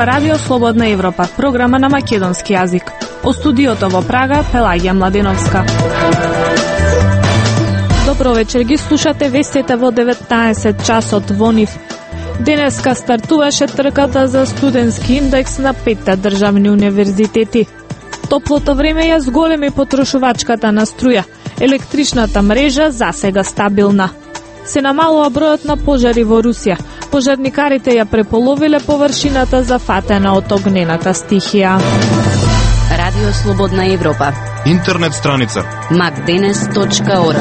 Ова радио Слободна Европа, програма на македонски јазик. Од студиото во Прага, Пелагија Младеновска. Добро вечер, ги слушате вестите во 19 часот во НИФ. Денеска стартуваше трката за студентски индекс на 5 државни универзитети. Топлото време ја зголеми потрошувачката на струја. Електричната мрежа засега стабилна. Се намалува бројот на пожари во Русија. Пожарникарите ја преполовиле површината зафатена од огнената стихија. Радио Слободна Европа. Интернет страница macdenes.org.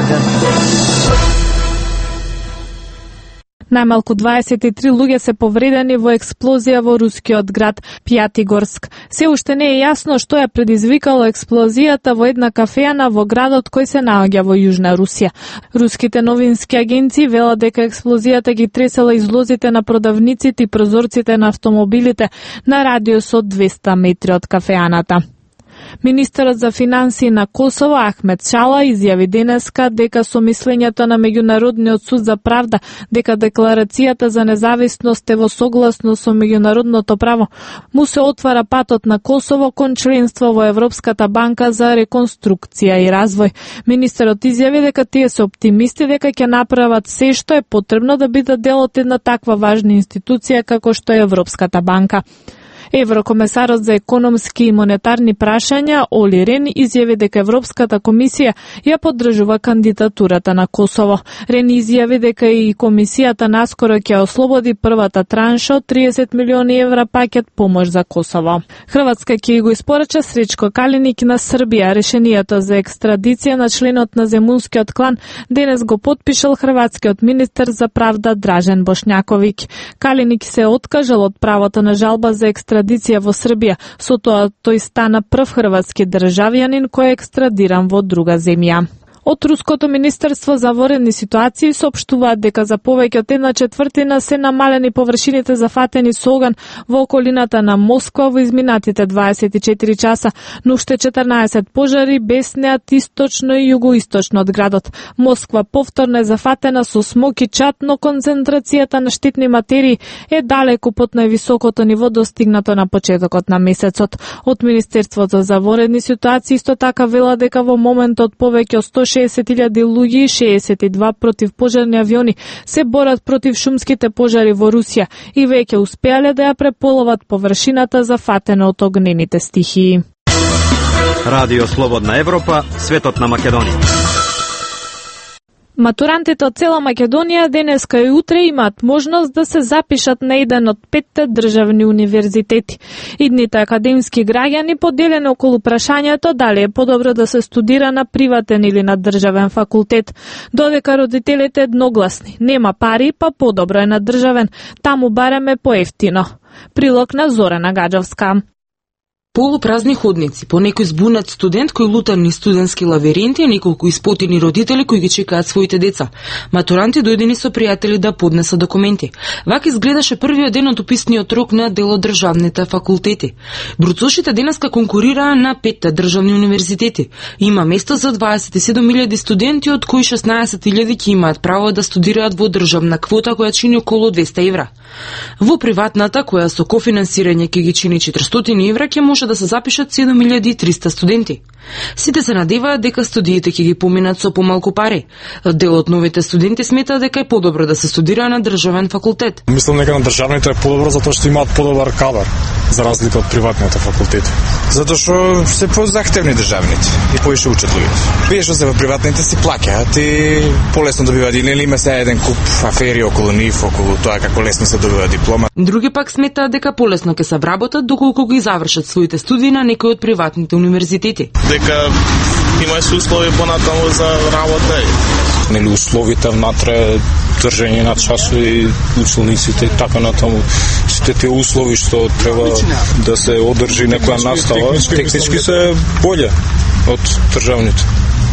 Најмалку 23 луѓе се повредени во експлозија во рускиот град Пјатигорск. Се уште не е јасно што ја предизвикало експлозијата во една кафеана во градот кој се наоѓа во Јужна Русија. Руските новински агенции велат дека експлозијата ги тресела излозите на продавниците и прозорците на автомобилите на радиус од 200 метри од кафеаната. Министерот за финансии на Косово Ахмет Чала изјави денеска дека со мислењето на Меѓународниот суд за правда дека декларацијата за независност е во согласно со меѓународното право, му се отвара патот на Косово кон членство во Европската банка за реконструкција и развој. Министерот изјави дека тие се оптимисти дека ќе направат се што е потребно да бидат дел од една таква важна институција како што е Европската банка. Еврокомесарот за економски и монетарни прашања Оли Рен изјави дека Европската комисија ја поддржува кандидатурата на Косово. Рен изјави дека и комисијата наскоро ќе ослободи првата транша од 30 милиони евра пакет помош за Косово. Хрватска ќе го испорача Сречко Калиник на Србија. Решението за екстрадиција на членот на земунскиот клан денес го потпишал хрватскиот министер за правда Дражен Бошњаковиќ. Калиник се откажал од правото на жалба за екстрадиција во Србија, со тоа тој стана прв хрватски државјанин кој е екстрадиран во друга земја. Од Руското министерство за воредни ситуации соопштуваат дека за повеќе од 1/4 се намалени површините зафатени со оган во околината на Москва во изминатите 24 часа, но уште 14 пожари беснеат источно и југоисточно од градот. Москва повторно е зафатена со смок и чад, но концентрацијата на штетни материи е далеку под највисокото ниво достигнато на почетокот на месецот. Од Министерството за воредни ситуации исто така вела дека во моментот повеќе од 160.000 луѓе и 62 противпожарни авиони се борат против шумските пожари во Русија и веќе успеале да ја преполоват површината зафатена од огнените стихии. Радио Слободна Европа, светот на Македонија. Матурантите од цела Македонија денеска и утре имаат можност да се запишат на еден од 5 државни универзитети. Идните академски граѓани поделени околу прашањето дали е подобро да се студира на приватен или на државен факултет. Додека родителите едногласни, нема пари, па подобро е на државен, таму барем е поевтино. Прилог на Зорана Гаджовска. Полупразни ходници, по некој збунат студент кој лута низ студентски лавиринти и неколку испотени родители кои ги чекаат своите деца. Матуранти дојдени со пријатели да поднесат документи. Вака изгледаше првиот ден од уписниот рок на дел од државните факултети. Бруцошите денеска конкурираа на 5 државни универзитети. Има место за 27.000 студенти, од кои 16.000 ќе имаат право да студираат во државна квота која чини околу 200 евра. Во приватната, која со кофинансирање ќе ги чини 400 евра, ќе може да се запишат 7.300 студенти. Сите се надеваат дека студиите ќе ги поминат со помалку пари. Дел од новите студенти сметаат дека е подобро да се студира на државен факултет. Мислам дека на државните е подобро затоа што имаат подобар кадар за разлика од приватните факултети. Затоа што се позахтевни државните и поише учат луѓето. Вие што се во приватните си плаќаат и полесно добиваат, или има се еден куп афери околу нив, околу тоа како лесно се добива диплома. Други пак сметаат дека полесно ќе се вработат доколку ги завршат своите студии на некои од приватните универзитети. Дека има се услови понатаму за работа. Нели условите внатре, држење на часови, учениците и така натаму. Сите тие услови што треба да се одржи некоја настава, технички се боле од државните.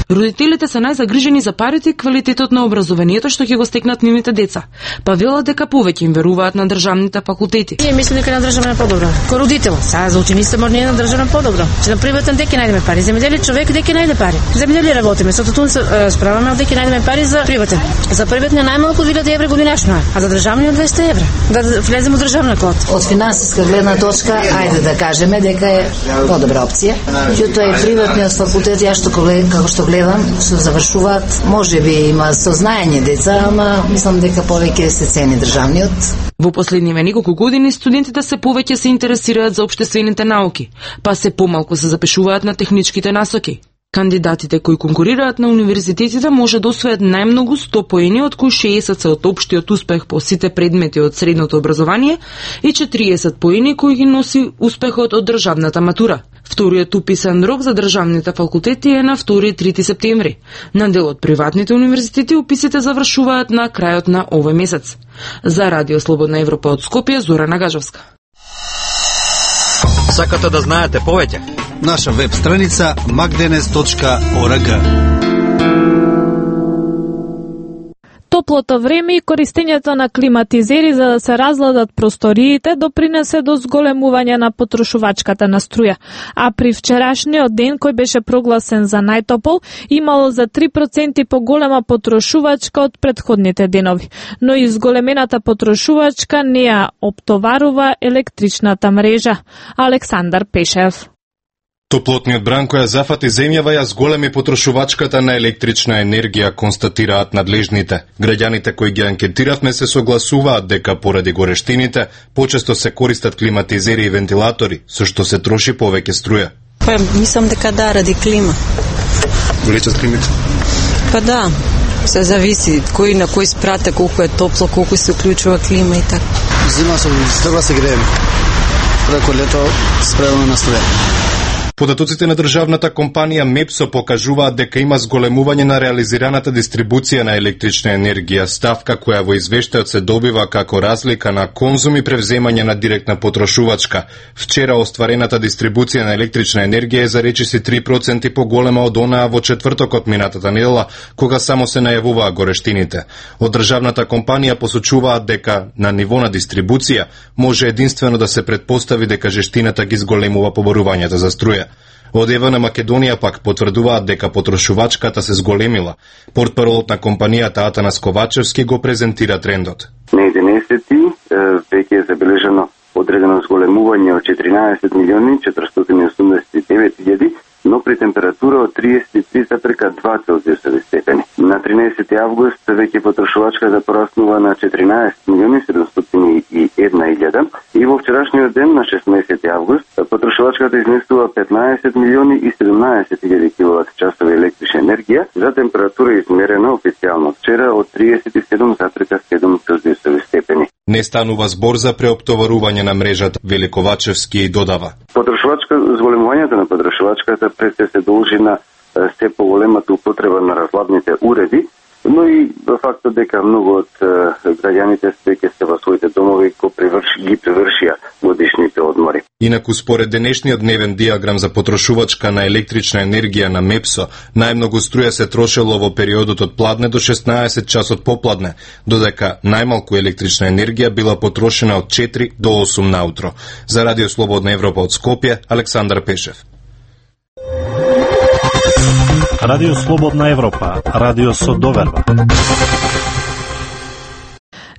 Родителите се најзагрижени за парите и квалитетот на образованието што ќе го стекнат нивните деца, па велат дека повеќе им веруваат на државните факултети. Ние мислиме дека на државна е подобро. Ко родител, сега за учениците може на државна подобро. Че на приватен дека најдеме пари, земјоделие човек дека најде пари. Земјоделие работиме, со тутун се справаме дека најдеме пари за приватен. За приватен најмалку 1000 евра годинашно, а за државниот 200 евра. Да влеземе во државна код. Од финансиска гледна точка, ајде да кажеме дека е подобра опција. Меѓутоа и приватниот факултет, ја што како што гледам, што завршуваат, можеби има сознаење деца, ама мислам дека повеќе се цени државниот. Во последниве неколку години студентите се повеќе се интересираат за општествените науки, па се помалку се запишуваат на техничките насоки. Кандидатите кои конкурираат на универзитетите може да освојат најмногу 100 поени, од кои 60 се од општиот успех по сите предмети од средното образование и 40 поени кои ги носи успехот од државната матура. Вториот уписен рок за државните факултети е на 2 и 3 септември. На дел од приватните универзитети уписите завршуваат на крајот на овој месец. За Радио Слободна Европа од Скопје, Зора Нагажовска. Сакате да знаете повеќе? Наша веб страница magdenes.org. Топлото време и користењето на климатизери за да се разладат просториите допринесе до зголемување на потрошувачката на струја. А при вчерашниот ден, кој беше прогласен за најтопол, имало за 3% поголема потрошувачка од претходните денови. Но и зголемената потрошувачка не ја оптоварува електричната мрежа. Александар Пешев. Топлотниот бран која зафати земјава ја зголеми потрошувачката на електрична енергија, констатираат надлежните. Граѓаните кои ги анкетиравме се согласуваат дека поради горештините почесто се користат климатизери и вентилатори, со што се троши повеќе струја. Па мислам дека да, ради клима. Влечат климите? Па да, се зависи кој на кој спрате, колку е топло, колку се уклучува клима и така. Зима со строга се греем. Преко лето спремаме на струја. Податоците на државната компанија МЕПСО покажуваат дека има зголемување на реализираната дистрибуција на електрична енергија, ставка која во извештајот се добива како разлика на конзум и превземање на директна потрошувачка. Вчера остварената дистрибуција на електрична енергија е за речиси 3% поголема од онаа во четвртокот минатата недела, кога само се најавуваа горештините. Од државната компанија посочуваат дека на ниво на дистрибуција може единствено да се претпостави дека жестината ги зголемува поборувањето за струја. Од ЕВН Македонија пак потврдуваат дека потрошувачката се зголемила. Портпаролот на компанијата Атанас Ковачевски го презентира трендот. На 11 веќе е забележано одредено зголемување од 14.489.000, но при температура од 33,2 Целзиусови степени. На 13 август веќе потрошувачката пораснува на 14.701.000 и во вчерашниот ден на 16 август потрошувачката изнесува 15.017.000 киловат-часови електрична енергија за температура измерена официјално вчера од 37,7 Целзиусови степени. Не станува збор за преоптоварување на мрежата, вели Ковачевски и додава. Зголемувањето на потрошувачката пред се должи на се поголемата употреба на разладните уреди, но и фактот дека многу од граѓаните веќе се во своите домови ги превршија годишните одмори. Инаку според денешниот дневен диаграм за потрошувачка на електрична енергија на МЕПСО, најмногу струја се трошело во периодот од пладне до 16 часот попладне, додека најмалку електрична енергија била потрошена од 4 до 8 наутро. За Радио Слободна Европа од Скопје, Александар Пешев. Радио Слободна Европа, радио со доверба.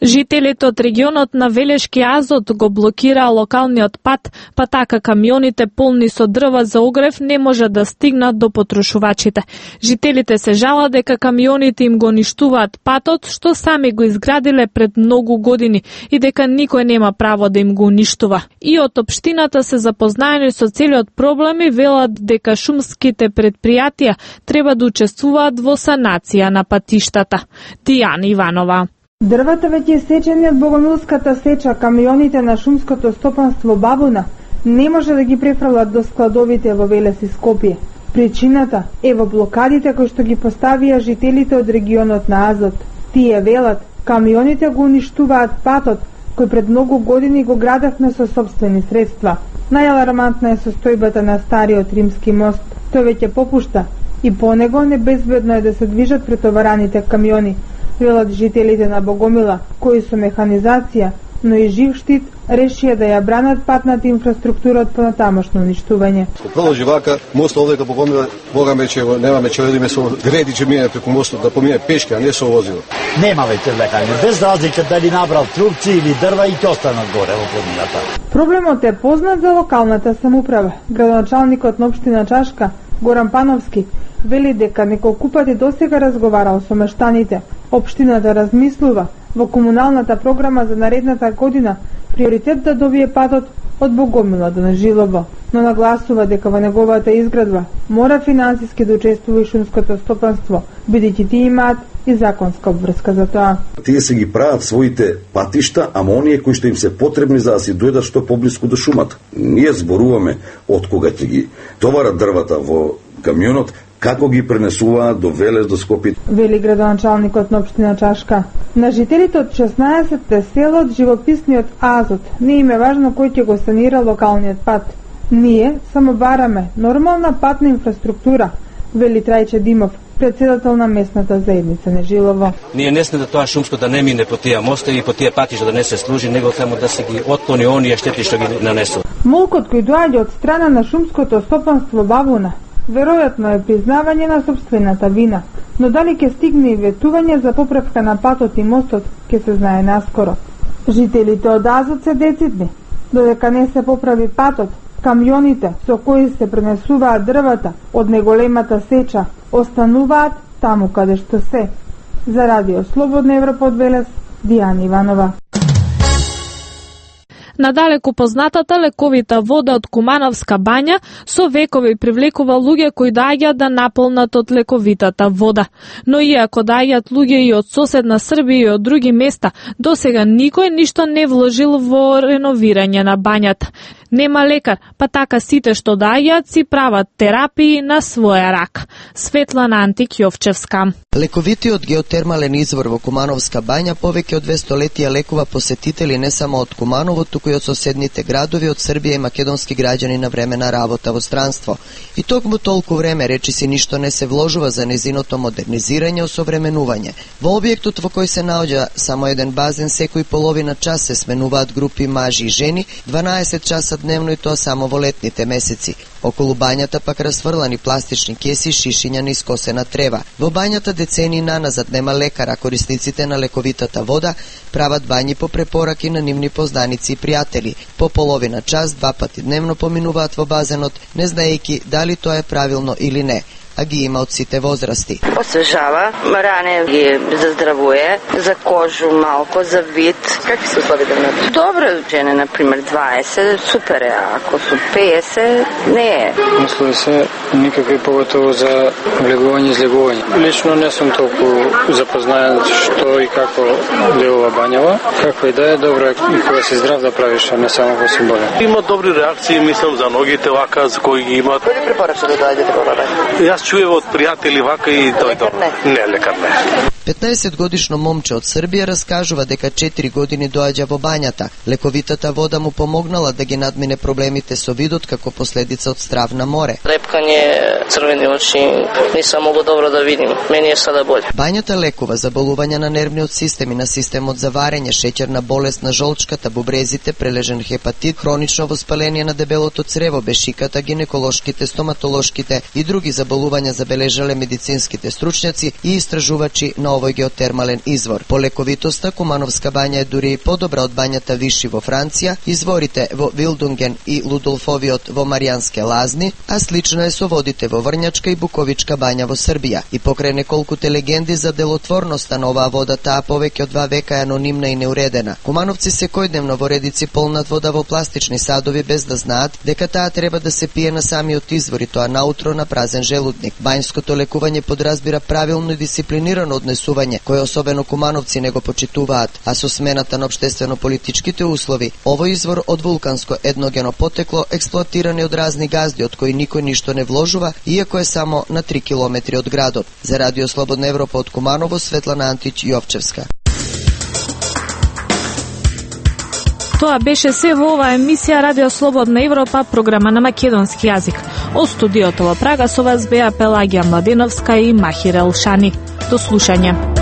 Жителите од регионот на Велешки Азот го блокираа локалниот пат, па така камионите полни со дрва за огрев не може да стигнат до потрошувачите. Жителите се жалат дека камионите им го ништуваат патот, што сами го изградиле пред многу години и дека никој нема право да им го уништува. И од општината се запознаени со целиот проблем и велат дека шумските предпријатија треба да учествуваат во санација на патиштата. Тијана Иванова. Дрвата веќе сечени од богомилската сеча, камионите на шумското стопанство Бабуна не може да ги префрлат до складовите во Велес и Скопје. Причината е во блокадите кои што ги поставија жителите од регионот на Азот. Тие велат, камионите го уништуваат патот, кој пред многу години го градевме со сопствени средства. Најалармантна е состојбата на стариот римски мост. Тој веќе попушта и по него небезбедно е да се движат претовараните камиони, велат жителите на Богомила, кои со механизација, но и жив штит, решија да ја бранат патната инфраструктура од понатамошно уништување. Ако продолжи вака, мостот овде кај Богомила, Богаме че немаме че одиме со греди че мине преку мостот, да помине пешки, а не со возило. Нема веќе влекање, без разлика дали набрал трупци или дрва и ќе останат горе во планината. Проблемот е познат за локалната самоуправа. Градоначалникот на општина Чашка, Горан Пановски, вели дека неколку пати досега разговарал со мештаните. Општината размислува во комуналната програма за наредната година приоритет да добие патот од Богомила до Нежилово, но нагласува дека во неговата изградба мора финансиски да учествува и шумското стопанство, бидејќи тие имаат и законска обврска за тоа. Тие се ги прават своите патишта, ама оние кои што им се потребни за да си дојдат што поблиску до шумата. Ние зборуваме од кога ќе ги товарат дрвата во камионот, како ги пренесуваат до Велес, до Скопје. Вели градоначалникот на општина Чашка. На жителите од 16 села од живописниот Азот не им е важно кој ќе го санира локалниот пат. Ние само бараме нормална патна инфраструктура, вели Трајче Димов, председател на местната заедница Нежилово. Ние не сме да тоа шумско да не мине по тие мостови и по тие патишта да не се служи, него само да се ги отклони оние штети што ги нанесува. Молкот кој доаѓа од страна на шумското стопанство Бабуна веројатно е признавање на собствената вина, но дали ќе стигне и ветување за поправка на патот и мостот, ќе се знае наскоро. Жителите од Азот се децидни. Додека не се поправи патот, камионите со кои се пренесуваат дрвата од неголемата сеча остануваат таму каде што се. За Радио Слободна Европа од Велес, Дијана Иванова. Надалеку познатата лековита вода од Кумановска бања со векови привлекува луѓе кои доаѓаат да наполнат од лековитата вода. Но иако доаѓаат луѓе и од соседна Србија и од други места, досега никој ништо не вложил во реновирање на бањата. Нема лекар, па така сите што доаѓаат си прават терапии на своја рак. Светлана Антик-Јовчевска. Лековитиот геотермален извор во Кумановска бања повеќе од 200 летија лекува посетители не само од Куманово, туку и од соседните градови, од Србија и македонски граѓани на време на работа во странство. И токму толку време речиси ништо не се вложува за незиното модернизирање и осовременување. Во објектот во кој се наоѓа само еден базен, секој половина час се сменуваат групи мажи и жени, 12 часа дневно и тоа само во летните месеци. Околу бањата пак расфрлани пластични кеси, шишиња на искосена трева. Во бањата децении наназад нема лекар, а корисниците на лековитата вода прават бањи по препораки на нивни познаници и пријатели. По половина час, 2 пати дневно поминуваат во базенот, не знаејќи дали тоа е правилно или не, а ги има од сите возрасти. Освежава, ране ги заздравуе, за кожу малко, за вид. Какви се условите на тоа? Добро, жене, например, 20, супер е, ако су 50, не е. Услови се никакви, поготово за влегување и излегување. Лично не сум толку запознаен што и како делува бањава. Како и да е, добро е и кога си здрав да правиш, а не само кога си болен. Има добри реакции, мислам, за ногите вака, за кои ги имат. Кој ви препорача да доаѓате во бања? Јас чуев од пријатели вака и тој не, лекар не. 15 годишно момче од Србија раскажува дека 4 години доаѓа во бањата. Лековитата вода му помогнала да ги надмине проблемите со видот како последица од страв на море. Лепкање, црвени очи, не сам могу добро да видим. Мене е сада боле. Бањата лекува заболувања на нервниот систем и на системот за варење, шеќерна болест на жолчката, бубрезите, прележен хепатит, хронично воспаление на дебелото црево, бешиката, гинеколошките, стоматолошките и други заболувања забележале медицинските стручњаци и истражувачи на овој геотермален извор. По лековитоста, Кумановска бања е дури и подобра од бањата Виши во Франција, изворите во Вилдунген и Лудолфовиот во Маријанске лазни, а слична е со водите во Врњачка и Буковичка бања во Србија. И покрај неколкуте легенди за делотворноста на оваа вода, таа повеќе од 2 века е анонимна и неуредена. Кумановци секојдневно во редици полнат вода во пластични садови без да знаат дека таа треба да се пие на самиот извор и тоа наутро на празен желудник. Бањското лекување подразбира правилно и дисциплинирано однесување, кое особено кумановци не го почитуваат, а со смената на општествено-политичките услови, овој извор од вулканско едногено потекло експлоатиран од разни газди од кои никој ништо не вложува, иако е само на 3 километри од градот. За Радио Слободна Европа од Куманово, Светлана Антич-Јовчевска. Тоа беше се во оваа емисија Радио Слободна Европа, програма на македонски јазик. Од студиото во Прага со вас беа Пелагија Младеновска и Махир Елшани. До слушање.